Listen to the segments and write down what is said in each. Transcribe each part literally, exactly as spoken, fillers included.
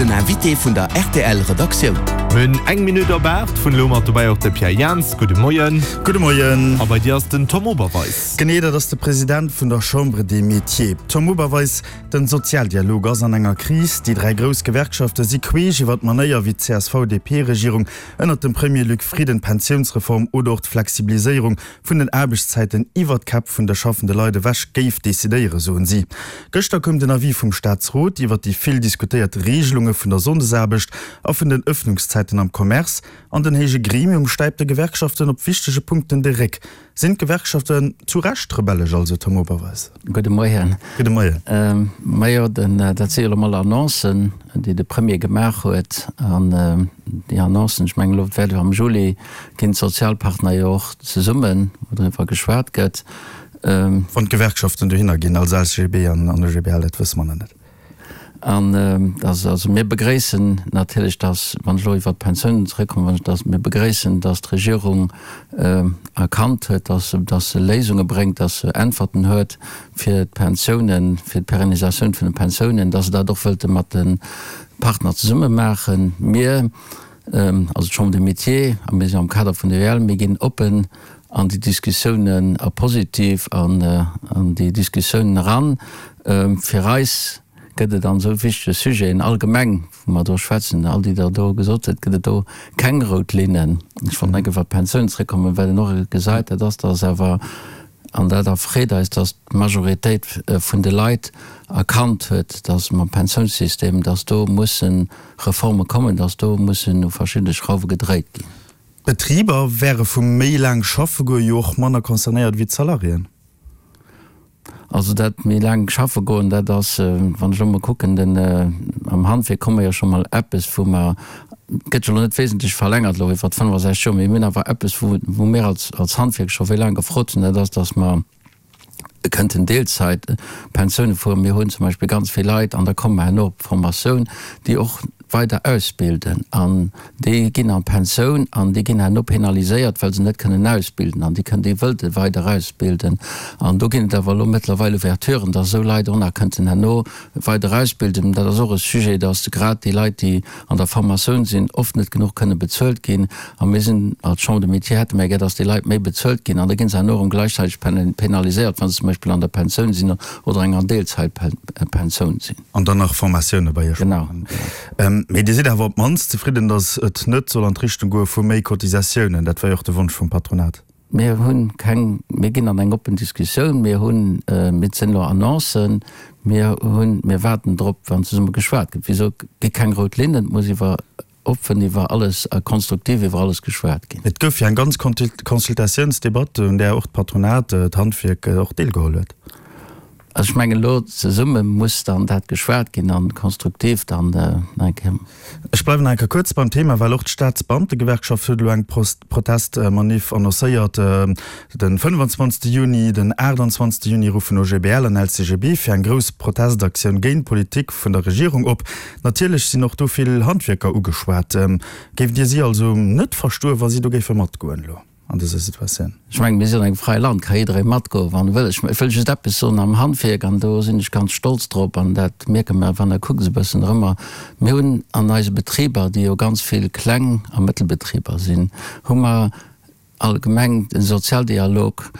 Den Invité vun der R T L Redaktioun. Mir hunn eng Minutt op aacht. Vun elo mat dobäi och de Pierre Jans. Gudde Moien. Gudde Moien. A bei dir ass den Tom Oberweis. Genee, dat ass de President vun der Chambre des Métiers. Tom Oberweis, den Sozialdialog ass an enger Kris. Déi dräi grouss Gewerkschafte si queesch iwwer d'Manéier, wéi d'C S V D P-Regierung ënnert dem Premier Luc Frieden d'Pensiounsreform oder och d'Flexibiliséierung vun den Aarbechtszäiten iwwer d'Käpp vun de schaffende Leit ewech géif decidéieren, soen si. Gëschter koum den Avis vum Staatsrot iwwer déi vill diskutéiert Reegelunge vun der Sonndesaarbecht a vun den Ëffnungszäiten am Commerce, an den héije Gremium stäipt de Gewerkschaften op wichtege Punkten de Réck. Sinn d'Gewerkschaften zu Recht rebellesch also, Tom Oberweis? Gudde Moien. Gudde Moien. Ähm, majo, den, dat si jo elo mol Annoncen, déi de Premier gemaach huet. An déi Annoncen, ech mengen, elo wäert jo am Juli ginn d'Sozialpartner jo och zesummen, wou driwwer geschwat gëtt. Wann d'Gewerkschaften dohinner ginn, also L C G B an U G B L, dat wësse mer nach net. An dass, also mir begréissen natierlech, dass, wann ech elo iwwert d'Pensiounen zrëckkommen, dass mir begréissen, dass d'Regierung erkannt huet, dass, dass se Léisunge bréngt, dass se Äntwerten huet fir d'Pensiounen, fir d'Perennisatioun vun de Pensiounen, dass se dat och wëllte mat de Partner zesumme maachen. Mir, also d'Chambre des Métiers, a mir sinn am Kader vun der U E L, mir ginn oppen an déi Diskussiounen a positiv an, an déi Diskussiounen eran. Fir eis gëtt et an esou wichtege Sujeten allgemeng, wou mer do schwätzen, all déi Der do gesot hutt, gëtt et do keng rout Linnen. Ech wollt nach eng Kéier iwwer d'Pensioun zrëckkommen, well een och gesäit, dat ass, dass awer, an dat erfreet eis, dass d'Majoritéit vun de Leit erkannt huet, dass mam Pensiounssystem, dass do musse Reforme kommen, dass do mussen u verschiddene Schrauwe gedréit ginn. D'Betriber wäre vum méi laang schaffe goe jo och manner concernéiert wéi d'Salariéen. Also dat méi laang schaffe goen, dat ass, wann ech elo mol kucken, den am Handwierk komme jo scho mol eppes, wou mer, gëtt jo elo net wesentlech verlängert elo iwwer fënnefasechzeg Joer, mee mir hunn awer eppes, wou wou mir als als Handwierk scho wéi laang gefrot hunn, dat ass, datt mer kënnten Deelzäitpensioune fueren. Mir hunn zum Beispill ganz vill Leit, an da komme mer herno op d'Formatioun, déi och weider ausbilden an déi ginn an d'Pensioun an déi ginn herno penaliséiert, well se net kënnen ausbilden an déi kënnen, déi wëlte weider ausbilden. An do ginn et awer elo mëttlerweil Ouverturen, dass esou Leit och nach kënnten herno weider ausbilden. Dat ass och e Sujet, dass grad déi Leit, déi an der Formatioun sinn, oft net genuch kënne bezuelt ginn. A mir sinn als Chambre des Métiers hätte mir gär, dass déi Leit méi bezuelt ginn an da gi se herno erëm gläichzäiteg penaliséiert, wa se zum Beispill an der Pensioun sinn oder enger Deelzäitpensioun sinn. An dann nach Formatioune bei Iech Genau. maachen. Mee Dir sidd awer op d'mannst zefridden, datt et net soll an d'Richtung goe vu méi Cotisatiounen. Dat war jo och de Wonsch vum Patronat. Mir hunn keng, mir ginn an eng oppen Diskussioun. Mir hunn, mir sinn elo Annoncen, mir hunn, mir waarden drop, wann zesumme geschwat gëtt. Wéi gesot, gi keng rout Linnen, et muss iwwer oppen iwwer alles a konstruktiv iwwer alles geschwat ginn. Et gouf jo eng ganz Consultatiounsdebatt, un där och d'Patronat, d'Handwierk och deelgeholl huet. Also ech mengen, elo zesumme muss dann dat geschwat ginn a konstruktiv dann nach eng Kéier. Ech bleiwen nach eng Kéier kuerz beim Thema, well och d'Staatsbeamtegewerkschaft huet elo eng Protestmanif annoncéiert. De fënnefenzwanzegste Juni, den aachtanzwanzegste Juni ruffen O G B L an L C G B fir eng grouss Protestaktioun géint d'Politik vun der Regierung op. Natierlech sinn och do vill Handwierker ugeschwat. Géift Dir si also net verstoen, wa si do géife matgoen elo an dëser Situatioun? Ech mengen, mir sinn an engem fräie Land, ka jidderee matgoen, wann e wëll. Ech wëll just eppes soen, am Handwierk, an do sinn ech ganz stolz drop, an dat mierke mer, wann Der kuckt esou e bëssen erëmmer, mir hunn an eise Betriber, déi jo ganz vill Kleng a Mëttelbetriber sinn, hu mer allgemeng den Sozialdialog,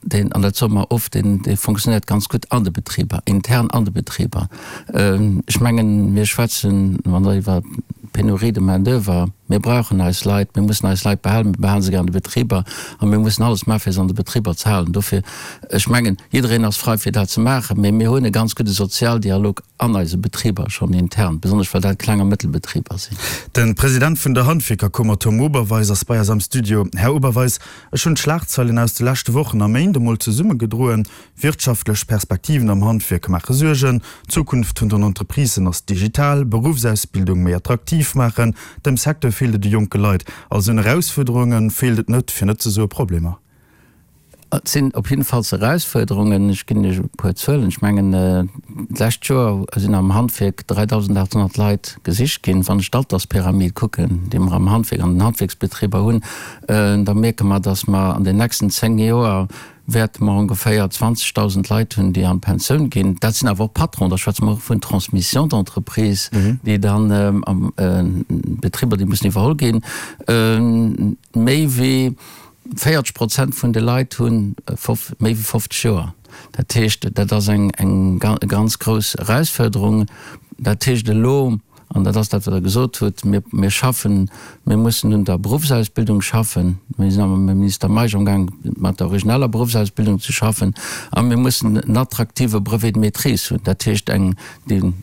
deen, an dat soe mer oft, deen, dee funktionéiert ganz gutt an de Betriber, intern an de Betriber. Ech mengen, mir schwätzen, wann Der iwwer d'Pénurie de main-d'oeuvre, mir brauchen eis Leit, mir mussen eis Leit behalen, mir behale se gär an de Betriber a mir mussen alles maachen, fir se an de Betriber ze halen. Dofir, ech mengen, jiddereen ass frei, fir dat ze maachen, mä mir hunn e ganz gudde Sozialdialog an eise Betriber schonn intern, besonnesch well dat Kleng a Mëttelbetriber sinn. De President vun der Handwierkerkummer Tom Oberweis ass bei eis am Studio. Här Oberweis, ech hunn d'Schlagzeilen aus de leschte Wochen a Méint emol zesummegedroen, Wirtschaftlech Perspektiven am Handwierk maache Suergen, d'Zukunft vun den Entreprisen ass digital, Beruffsausbildung méi attraktiv maachen, dem Secteur feelt et u jonke Leit. Also un Erausfuerderunge feelt et net, fir net ze soe Problemer. Et sinn op jiddefalls Erausfuerderungen. Ech ginn Iech e puer Zuelen. Ech mengen, d'lescht Joer sinn am Handwierk dräidausendachthonnert Leit gesicht ginn. Wann ech d'Alterspyramid kucken, déi mer am Handwierk, an den Handwierksbetriber hunn, da mierke mer, dass mer an den nächsten zéng Joer wäerte mer ongeféier zwanzegdausend Leit hunn, déi an d'Pensioun ginn. Dat sinn awer och Patronen, da schwätze mer och vun Transmission d'entreprise, déi dann am Betriber, déi mussen iwwerholl ginn. Méi wéi véierzeg Prozent vun de Leit hu méi wéi fofzeg Joer. Dat heescht, dat ass eng ganz grouss Erausfuerderung. Dat heescht elo, an dat ass dat, wat Der gesot hutt, mir, mir schaffen, mir mussen un der Beruffsausbildung schaffen. Mir sinn awer mam Minister Meisch amgaang, mat der origineller Beruffsausbildung ze schaffen. A mir mussen en attraktive Brevet de maîtrise hunn, dat heescht eng, déi,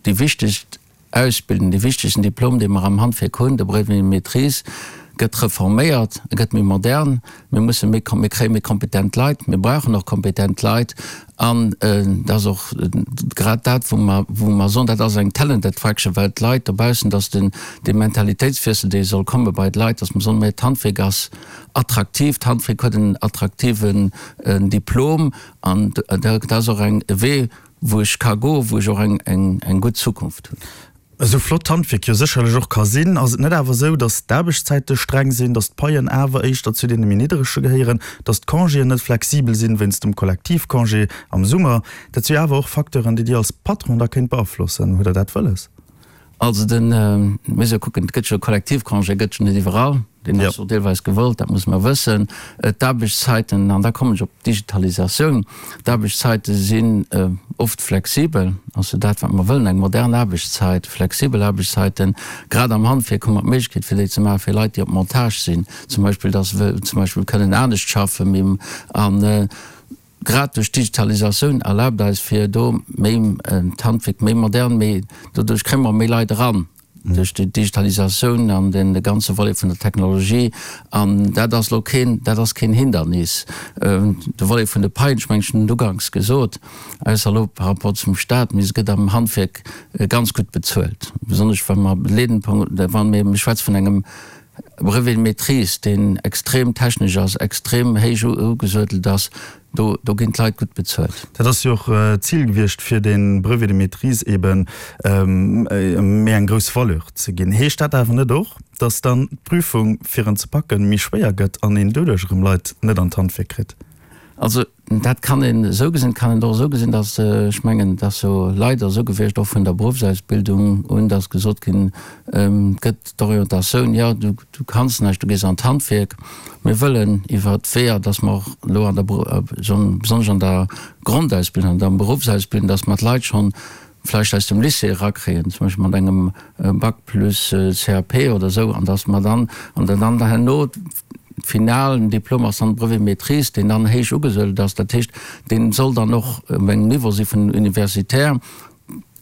déi wichtegst Ausbildung, dee wichtegsten Diplom, dee mer am Handwierk hunn, de Brevet de maîtrise, gëtt reforméiert, e gëtt méi modern. Mir musse méi, mir kréie méi kompetent Leit, mir brauchen och kompetent Leit. An et ass och grad dat, wou mer, wou mer soen, dat ass eng Talent attraction, well d'Leit dobaussen, dass den, dee Mentalitéitswiessel, dee soll komme bei d'Leit, dass mer soen, mä d'Handwierk ass attraktiv, d'Handwierk huet en attraktiven Diplom an dat ass och eng, e Wee, wou ech ka goen, wou ech och eng, eng, eng gutt Zukunft hunn. Esou flott d'Handwierk jo sécherlech och ka sinn, ass et net awer esou, datt d'Aarbecchtszäite streng sinn, datt d'Paien awer éischter zu deene méi nidderege gehéieren, datt d'Congéen net flexibel sinn wéinst dem Kollektivcongé am Summer? Dat si jo awer och Facteuren, déi Dir als Patron da kéint beaflossen. Hutt Der dat wëlles? Also den, mir musse kucken, et gëtt jo Kollektivcongé gëtt jo net iwwerall, deen ass och deelweis gewollt, dat musse mer wëssen. D'Aarbechtszeiten, an da kommen ech op d'Digitalisatioun, d'Aarbechtszeite sinn oft flexibel, also dat wat mer wëllen, eng modern Aarbechtszeit, flexibel Aarbechtszeiten. Grad am Handwierk hu mer d'Méiglechkeet fir déi ze maachen, fir Leit déi op Montage sinn zum Beispill, dass se zum Beispill kënnen anescht schaffen an grad duerch d'Digitalisatioun erlaabt eis fir do méi d'Handwierk méi modern, méi, doduerch kréie mer méi Leit eran duerch déi Digitalisatioun an den ganze Volet vun der Technologie. An dat ass elo keen, dat ass keen Hindernis. De Volet vun de Paien, ech mengen ech hunn et uganks gesot, ausser elo par rapport zum Stat, mee se gëtt am Handwierk ganz gutt bezuelt, besonnesch wa mer leeden, wa mir, mir schwätze vun engem Brevet de maîtrise, deen extrem technesch ass, extrem héich ugesuedelt ass, do, do ginn d'Leit gutt bezuelt. Dat ass jo och d'Zil gewiescht, fir dee Brevet de maîtrise eeben méi eng grouss Valeur ze ginn. Heescht dat awer net och, dass dann d'Prüfung, fir en ze packen, méi schwéier gëtt an een doduerch erëm Leit net an d'Handwierk kritt? Also dat kann een esou gesinn, et kann een et och esou gesinn, dass, ech mengen, et ass jo leider esou gewiescht, och vun der Beruffsausbildung un, dass gesot ginn gëtt, d'Orientatioun, jo, du, du kanns näischt, du gees an d'Handwierk. Mir wëllen iwwer d'Weeër, dass mer och elo an der, besonnesch an der Grondausbildung, an der Beruffsausbildung, dass mer d'Leit schonn vläicht aus dem Lycée erakréien, zum Beispill mat engem Bac plus C A P oder esou, an dass mer dann, an dann herno finalen Diplom ass dann de Brevet maîtrise, deen dann héich ugesuedelt ass. Dat heescht, dee soll dann och op engem Niveau si vun universitaire.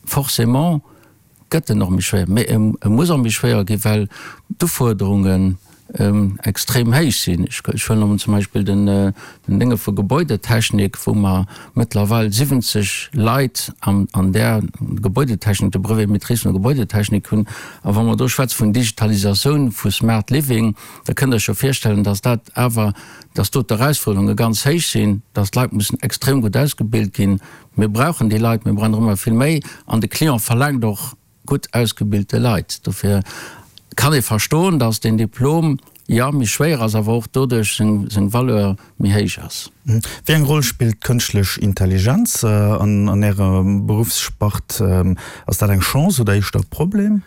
Forcément gëtt en och méi schwéier, mä e muss och méi schwéier ginn, well d'Ufuerderungen extrem héich sinn. Ech huelen nëmmen zum Beispill den Dénge vu Gebäudetechnik, wou mer mëttlerweil siwwenzeg Leit an där Gebäudetechnik, de Brevet maîtrise vun der Gebäudetechnik hunn. A wa mer do schwätze vun Digitalisatioun, vu Smart Living, da kënnt Der Iech jo virstellen, dass dat awer, dass do d'Erausfuerderunge ganz héich sinn, dass d'Leit mussen extrem gutt ausgebilt ginn. Mir brauchen déi Leit, mir brauchen der ëmmer vill méi an de Client verlaangt och gutt ausgebilte Leit. Dofir kann ee verstoen, dass deen Diplom, jo, méi schwéier ass, awer och doduerch seng Valeur méi héich ass. Wéi eng Roll spillt d'kënschtlech Intelligenz an Ärer Beruffsspart? Ass dat eng Chance oder éischter e Problem?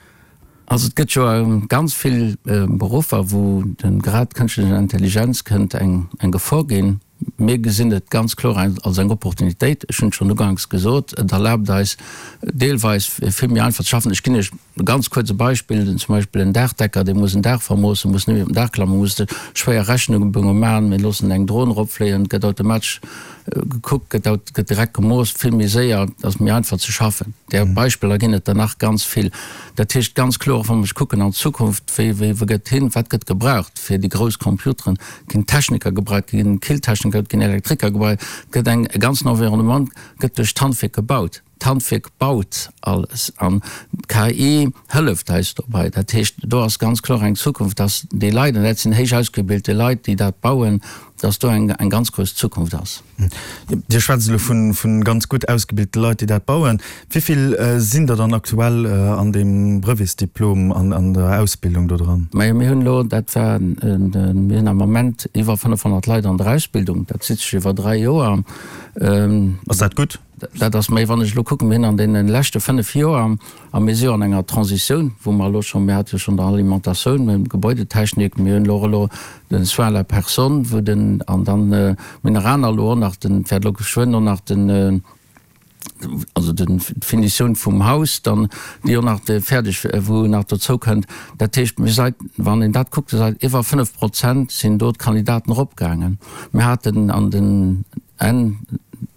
Also et gëtt jo ganz vill Beruffer, wou de grad d'kënschtlech Intelligenz kënnt eng eng Gefor ginn. Mir gesinn et ganz kloer als eng Opportunitéit. Ech hunn et schonn uganks gesot, et erlaabt eis deelweis vill méi einfach ze schaffen. Ech ginn Iech e ganz kuerz e Beispill, zum Beispill en Daachdecker, dee muss en Daach vermoossen, muss net méi op den Daach klammen, muss schwéier Rechnunge maachen. Mir loossen eng Dron eropfléien, et gëtt automatesch gekuckt, gëtt gëtt direkt gemooss, vill méi séier, et ass méi einfach ze schaffen. Där Beispiller ginn et der nach ganz vill. Dat heescht ganz kloer, och wa mer kucken an d'Zukunft, wéi, wéi, wou gëtt hin, wat gëtt gebraucht fir déi grouss Computeren, ginn Techniker gebraucht, ginn Killtechniker, ginn Elektriker gebraucht, gëtt eng, e ganzen Environnement gëtt duerch d'Handwierk gebaut. D'Handwierk baut alles an d'KI hëlleft eis dobäi. Dat heescht, do ass ganz kloer eng Zukunft, dass déi Leit, an dat sinn héich ausgebilte Leit, déi dat bauen, dass do eng eng ganz grouss Zukunft ass. Dir schwätzt elo vu vu ganz gutt ausgebilte Leit, déi dat bauen. Wéi vill sinn der dann aktuell an deem Brevetsdiplom an an der Ausbildung do dran? Majo, mir hunn elo, dat war, mir hunn am Moment iwwer fënnefhonnert Leit an der Ausbildung. Dat zitt sech iwwer dräi Joer. Ass dat gutt? Dat ass méi, wann ech elo kucken, mir hunn an deene leschte fënnef Joer, a mir si jo an enger Transitioun, wou mer elo schonn, mir hate jo schonn der Alimentatioun, mir hunn d'Gebäudetechnik, mir hunn elo och elo den Soins à la personne, wou den, an dann, mir hunn nach aner elo och nach den, wäert elo geschwënn och nach den, also den, d'Finitioun vum Haus dann, déi och nach fäerdeg, wou nach dozou kënnt. Dat heescht, mir seit, wann een dat kuckt, seit iwwer fënnef Prozent sinn do d'Kandidaten eropgaangen. Mir haten an den Enn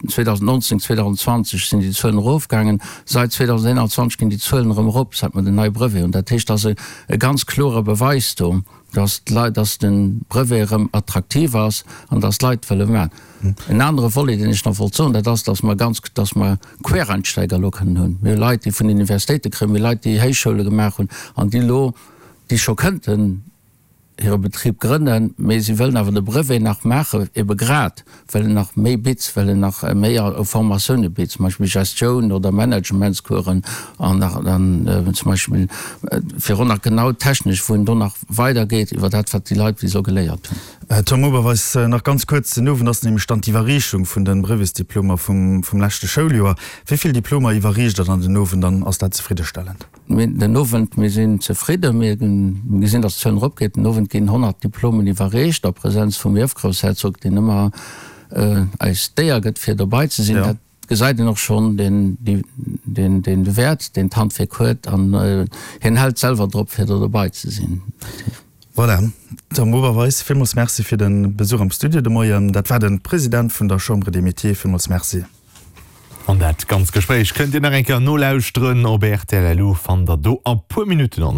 zweedausendnonzéng, zweedausendzwanzeg sinn déi Zuelen erofgaangen. Seit zweedausendeenanzwanzeg ginn déi Zuelen erëm erop, säit mer den neie Brevet hunn. Dat heescht, et ass e ganz klore Beweis do, dass d'Leit, dass de Brevet erëm attraktiv ass an dass d'Leit wëlle maachen. En anere Volet, deen ech nach wollt soen, dat ass, dass mer ganz, dass mer Quereinsteiger elo kënnen hunn. Mir hu Leit, déi vun Universitéite kréien, mir hu Leit, déi Héichschoule gemaach hunn an déi elo, déi scho kënnten hire Betrib grënnen, mee si wëllen awer de Brevet nach maachen, ebe grad well en nach méi bitt, well en nach méi Formatioune bitt, zum Beispill Gestioun oder Managementscoursen an nach an zum Beispill fir och nach genau technesch, wou en do nach weidergeet iwwer dat, wat déi Leit bis elo geléiert hunn. Tom Oberweis, nach ganz kuerz, Den Owend ass nämlech dann d'Iwwerreechung vun de Brevetsdiplomer vum leschte Schouljoer. Wéi vill Diplomer iwwerreecht Der dann den Owend an ass dat zefriddestellend? Mir den Owend, mir sinn zefridden, mir gesinn, datt d'Zuelen eropgeet. Den Owend ginn honnert Diplomen iwwerreecht a Präsenz vum Ierfgroussherzog, deen ëmmer eis d'Éier gëtt fir dobei ze sinn. Dat gesäit een och schonn, deen, deen, deen Wäert, deen d'Handwierk huet an hien hält selwer drop fir do dobei ze sinn. Voilà, Tom Oberweis, villmools Merci fir de Besuch am Studio de Moien. Dat war de President vun der Chambre des Métiers. Villmools Merci. An dat ganzt Gespréich kënnt Dir nach eng Kéier nolauschteren op rtl. Lu fannt der do a puer Minutten online.